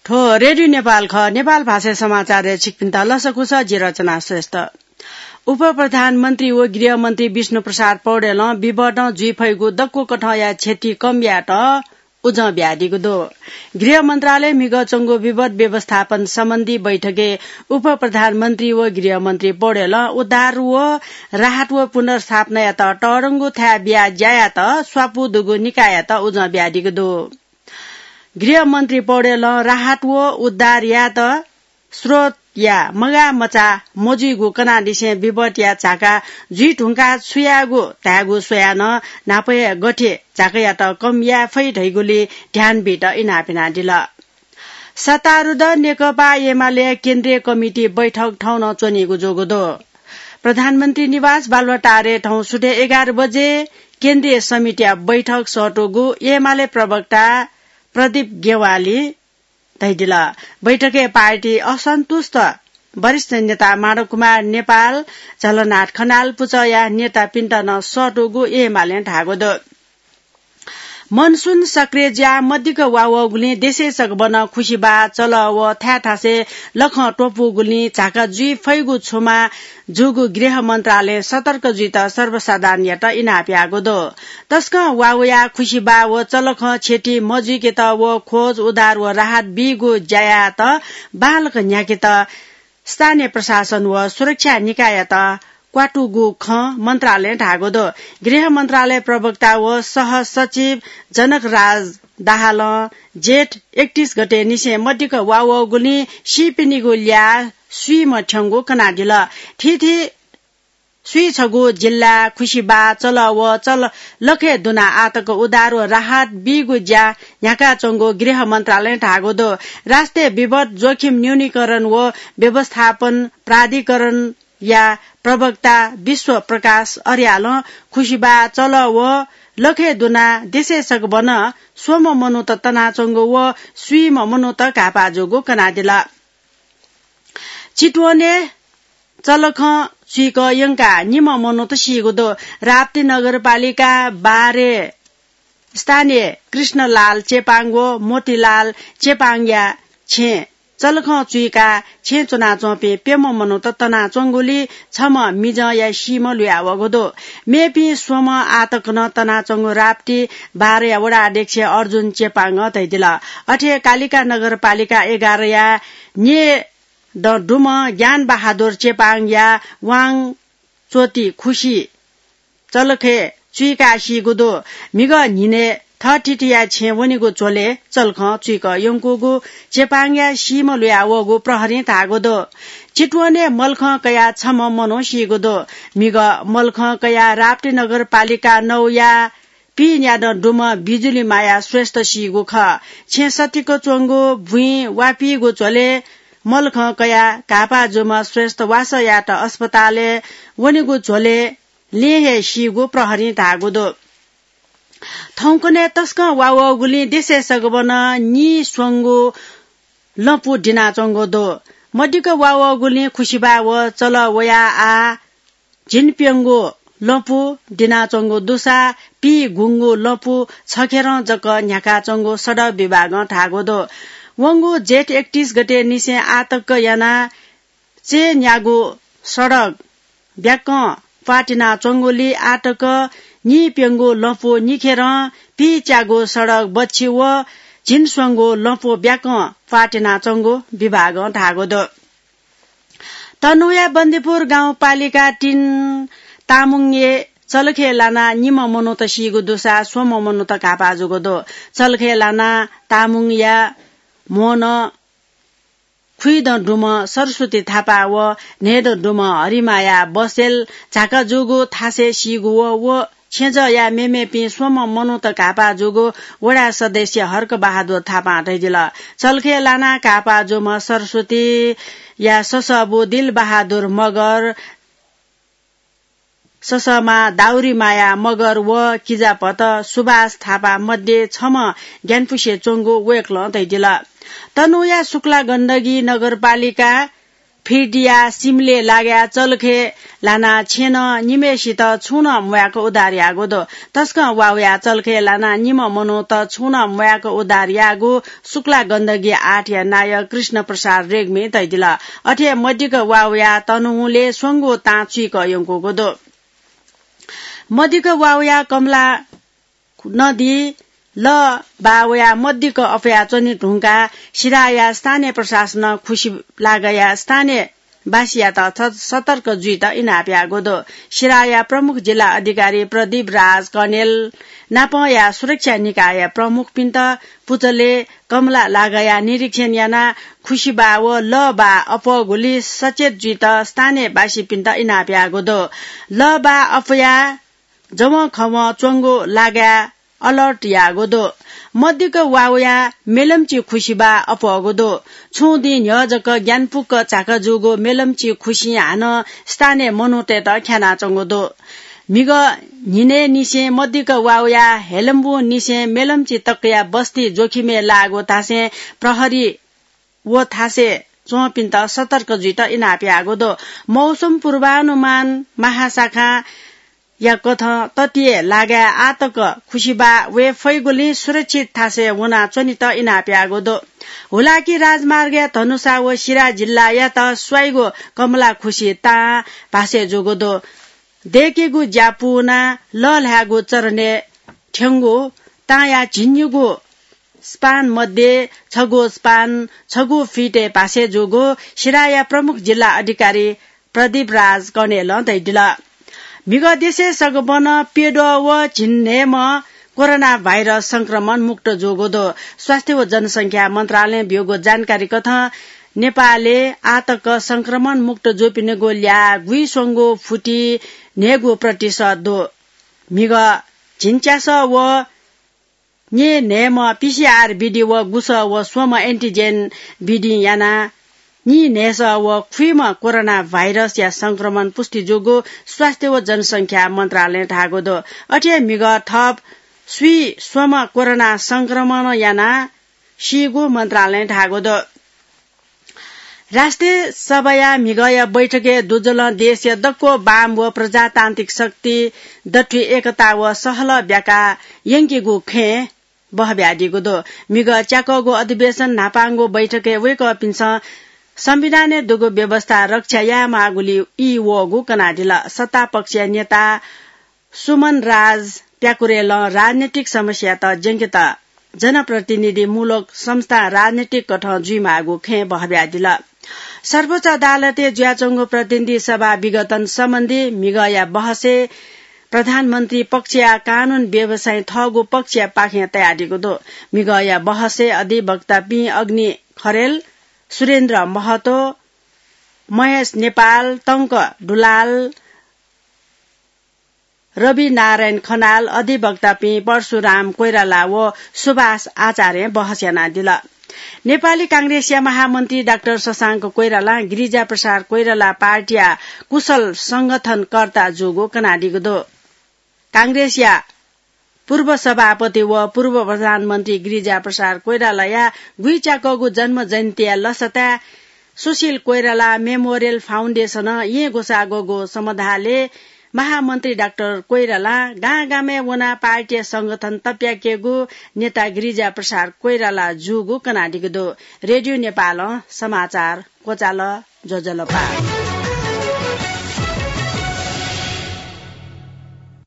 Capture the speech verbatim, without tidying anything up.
थ्व रेडियो नेपाल खः। नेपाल भाषाय् समाचारय् छिकपिन्त लसकुस, जि रचना श्रेष्ठ। उपप्रधानमन्त्री व गृहमन्त्री विष्णुप्रसाद पौडेलं विवटं जुइ फइगु दक्व कथंया क्षति कम यायेत उजं बियादीगु दु। गृह मन्त्रालयय् म्हिगः च्वंगु विवट व्यवस्थापन सम्बन्धी बैठकय् उपप्रधानमन्त्री व गृहमन्त्री पौडेलं उद्धार व राहत व पुनर्स्थापनायात तःधंगु थाय् बियाः ज्या यायेत स्वापू दुगु निकाययात उजं बियादीगु दु। गृहमन्त्री पौडेलं राहत व उद्धार यायेत स्रोतया मगाः मचाः मजुइगु कनादिसें विपतया झाका जुइ धुंकाः छु यायेगु धायेगु स्वयाः नं न्हापाया गथे झाकायात कम याये फइ धइगुलि ध्यान बीत इनाप यानादिल। सत्तारूढ नेकपा एमाले केन्द्रीय कमिटी बैठक थौं नं च्वनीगु जूगु दु। प्रधानमन्त्री निवास बालुवाटारय् थौं सुथय् एघार बजे केन्द्रीय समितिया बैठक सःतूगु एमाले प्रवक्ता प्रदीप गेवालीं धयादिल। बैठकय् पार्टी असन्तुष्ट वरिष्ठ नेता माधव कुमार नेपाल, झलनाथ खनाल पुचःया नेतापिन्त नं सःतूगु एमालें धाःगु दु। मनसुन सक्रिय जुयाः मदिक्क वा वःगुलिं देशय् सकभनं खुसिबाः, चलः व थाय् थासय् लखं त्वपुगुलिं झाका जुइ फइगु छुमा जूगु गृह मन्त्रालयं सतर्क जुइत सर्वसाधारणयात इनाप याःगु दु। तसकं वा वयाः खुसिबाः व चलखं क्षति मजुइकेत व खोज, उद्धार व राहत बीगु ज्या यायेत बांलाक न्ह्याकेत स्थानीय प्रशासन व सुरक्षा निकाययात क्वातुगु खँ मन्त्रालयं धाःगु दु। गृह मन्त्रालय प्रवक्ता व सहसचिव जनकराज दाहालं जेठ एकतीस गते निसें मदिक्क वा वःगुलिं सीपिनिगु ल्याः स्वीम्ह थ्यंगु कनादिल। थीथी स्वीछगू जिल्लाय् खुसिबाः, चलः व चल लखय् दुनाः आःतक उद्धार व राहत बीगु ज्या न्ह्याकाच्वंगु गृह मन्त्रालयं धाःगु दु। राष्ट्रिय विपत जोखिम न्यूनीकरण व व्यवस्थापन प्राधिकरणया प्रवक्ता विश्व प्रकाश अर्यालं खुसिबाः, चलः व लखय् दुनाः देशय् सकभनं स्वम्ह मनूत तनाच्वंगु व स्वीम्ह मनूत घाःपाः जूगु कनादिल। चितवनय् चलखं चुइक यंकाः निम्ह मनूत सीगु दु। राप्ती नगरपालिका बाह्रय् स्थानीय कृष्णलाल चेपाङ व मोतीलाल चेपाङया छेँय् चलखं चुइकाः छेँय् च्वनाच्वंपिं प्यम्ह मनूत तनाच्वंगुलिं छम्ह मिजंया सीम्ह लुयावःगु दु। मेपिं स्वम्ह आःतक नं तनाच्वंगु राप्ती बाह्रया वडा अध्यक्ष अर्जुन चेपाङं धयादिल। अथे कालिका नगरपालिका एघारया न्येदँ दुम्ह ज्ञानबहादुर चेपाङया वां च्वति खुसि चलखय् चुइकाः सीगु दु। म्हिगः न्हिनय् थःथितिया छेँय् वनीगु झ्वलय् चलखं चुइक यंकूगु चेपाङया सीम्ह लुयावःगु प्रहरीं धाःगु दु। चितवनय् मलखं कयाः छम्ह मनू सीगु दु। म्हिगः मलखं कयाः राप्ती नगरपालिका नौया पीन्यादँ दुम्ह बिजुली माया श्रेष्ठ सीगु खः। छेँ सतिक च्वंगु बुँइ वापीगु झ्वलय् मलखं कयाः घाःपाः जूम्ह श्रेष्ठ वासः यायेत अस्पतालय् वनीगु झ्वलय् लँय् हे सीगु प्रहरीं धाःगु दु। थौंकन्हय् तसकं वा वःगुलिं देशय् सकभनं नीस्वंगू लँपु दिनाच्वंगु दु। मदिक्क वा वःगुलिं खुसिबाः व चलः वयाः आः झिंप्यंगू लँपु दिनाच्वंगु दुसा पीगुंगू लँपु छखेरं जक न्ह्याकाच्वंगु सडक विभागं धाःगु दु। वंगु जेठ एकतीस गते निसें आःतक यानाः चय्न्यागू सडक ब्याकं प्वातिनाच्वंगुलिं आःतक नीप्यंगू लँपु निखेरं पीच्यागू सडक बच्छि व झिंस्वंगू लँपु ब्याकं प्वातिनाच्वंगु विभागं धाःगु दु। तनहुँया बन्दीपुर गाउँपालिका तीन तामुङय् चलखय् लानाः निम्ह मनूत सीगु दुसा स्वम्ह मनूत घाःपाः जूगु दु। चलखय् लानाः तामुङया म्होनं खुइदँ दुम्ह सरस्वती थापा व न्हय्दँ दुम्ह हरिमाया बसेल झाका जूगु थासय् सीगु व व छेँजःया मेमेपिं स्वम्ह मनूत घाःपाः जूगु वडा सदस्य हर्क बहादुर थापां धयादिल। चलखय् लानाः घाःपाः जूम्ह सरस्वतीया ससःबु दिल बहादुर मगर, ससःमा दाउरी माया मगर व किजाभत सुभाष थापा मध्ये छम्ह ग्यानापुसे च्वंगु वय्कलं धयादिल। तनहुँया शुक्ला गण्डकी नगरपालिका फिर्दिया सिमले लागाय् चलखे लानाः छेँनं निम्हय्‌सित छुं नं म्वाय्‌क उद्धार याःगु दु। तसकं वाःवयाः चलखे लानाः निम्ह मनूत छुं नं म्वाय्‌क उद्धार याःगु शुक्ला गण्डकी आठया नायः कृष्ण प्रसाद रेग्मीं धयादिल। अथे मदिक्क वाःवयाः तनहुँले स्वंगू तां चुइक यंकूगु दु। मदिक्क वाःवयाः कमला नदी लः बाः वयाः मदिक्क अप्वया च्वने धुंकाः सिराया स्थानीय प्रशासनं खुसिलागाया स्थानीयवासीयात स-, सतर्क जुइत इनाप याःगु दु। सिराया प्रमुख जिल्ला अधिकारी प्रदीप राज कनेल नापंया सुरक्षा निकायया प्रमुखपिन्त पुचलय् कमला लागाया निरीक्षण यानाः खुसिबाः व लः बाः अप्वःगुलिं सचेत जुइत स्थानीयवासीपिन्त इनाप याःगु दु। लः बाः अप्वया जवंखवं च्वंगु लागाय् अलर्ट याःगु दु। मदिक्क वाःवया मेलम्ची खुसिबाः अप्वःगु दु। छुं दिं न्ह्यः जक ग्यानापुक झाका जूगु मेलम्ची खुसिं हानं स्थानीय मनूतय्‌त ख्यानाच्वंगु दु। म्हिगः न्हिनय्‌निसें मदिक्क वाःवया हेलम्बुंनिसें मेलम्ची तकया बस्ती जोखिमय् लाःगु धासें प्रहरी व थासय् च्वंपिन्त सतर्क जुइत इनाप याःगु दु। मौसम पूर्वानुमान महाशाखां या कथं ततिया लागाय् आःतक खुसिबाः वये फइगुलिं सुरक्षित थासय् वनाच्वनेत इनाप याःगु दु। हुलाकी राजमार्गया धनुषा व सिरा जिल्लायात स्वाइगु कमला खुसि तां भासय् जूगु दु। दय्‌केगु ज्या पूवनाः लःल्हायेगु चरणय् थ्यंगु तांया झिंनिगू स्पान मध्ये छगू स्पान छगू फिटय् भासय् जूगु सिराया प्रमुख जिल्ला अधिकारी प्रदीप राज कनेलं धयादिल। म्हिगः देशय् सगबनं प्यद्वः व झिंन्हय्‌म्ह कोरोना भाइरस संक्रमण मुक्त जूगु दु। स्वास्थ्य व जनसंख्या मन्त्रालयं ब्यूगु जानकारी कथं नेपालय् आःतक संक्रमण मुक्त जूपिनिगु ल्याः गुइस्वंगू फुति न्हय्‌गू प्रतिशत दु। म्हिगः झिंच्यासः व न्येन्हय्‌म्ह पीसीआर विधि व गुसः व स्वम्ह एन्टिजेन विधिं यानाः नीन्हय्‌सः व खुइम्ह कोरोना भाइरसया संक्रमण पुष्टि जूगु स्वास्थ्य व जनसंख्या मन्त्रालयं धाःगु दु। अथे हे म्हिगः थप स्वीस्वम्ह कोरोना संक्रमण यानाः सीगु मन्त्रालयं धाःगु दु। राष्ट्रिय सभाया म्हिगःया बैठकय् दुजलं देशया दक्व वाम व प्रजातान्त्रिक शक्ति दथुइ एकता व सहलह ब्याका यंकेगु खँय् बहब्यादीगु दु। म्हिगः च्याकःगु अधिवेशन न्हापांगु बैठकय् वय्कःपिन्सं संविधानय् दुगु व्यवस्था रक्षा यायेमाःगुलिइ ई वःगु कनादिल। सत्ता पक्षया नेता सुमन राज प्याकुरेलं राजनीतिक समस्यात ज्यंकेत जनप्रतिनिधिमूलक संस्था राजनीतिक कथं जुइमाःगु खँय् बहब्यादिल। सर्वोच्च अदालतय् जुयाच्वंगु प्रतिनिधि सभा विघटन सम्बन्धी म्हिगःया बहसय् प्रधानमन्त्री पक्षया कानून व्यवसायी थःगु पक्षया पाखें तयादीगु दु। म्हिगःया बहसय् अधिवक्तापिं अग्नि खरेल, सुरेन्द्र महतो, महेश नेपाल, टंक दुलाल, रविनारायण खनाल, अधिवक्तापिं परशुराम कोइराला व सुभाष आचार्यं बहस यानादिल। नेपाली कांग्रेसया महामन्त्री डाक्टर शशांक कोइरालां गिरिजा प्रसाद कोइराला पार्टीया कुशल संगठनकर्ता जूगु कनादीगु दु। कांग्रेसया पूर्व सभापति व पूर्व प्रधानमन्त्री गिरिजा प्रसाद कोइरालाया गुइच्याकःगु जन्म जयन्तीया लसताय् सुशील कोइराला मेमोरियल फाउन्डेसनं येँ ग्वसाः ग्वःगु समाधालय् महामन्त्री डाक्टर कोइरालां गां गामय् वनाः पार्टीया संगठन तप्याकेगु नेता गिरिजा प्रसाद कोइराला जूगु कनादीगु दु। रेडियो नेपालं समाचार क्वचाल। ज्वजलपा।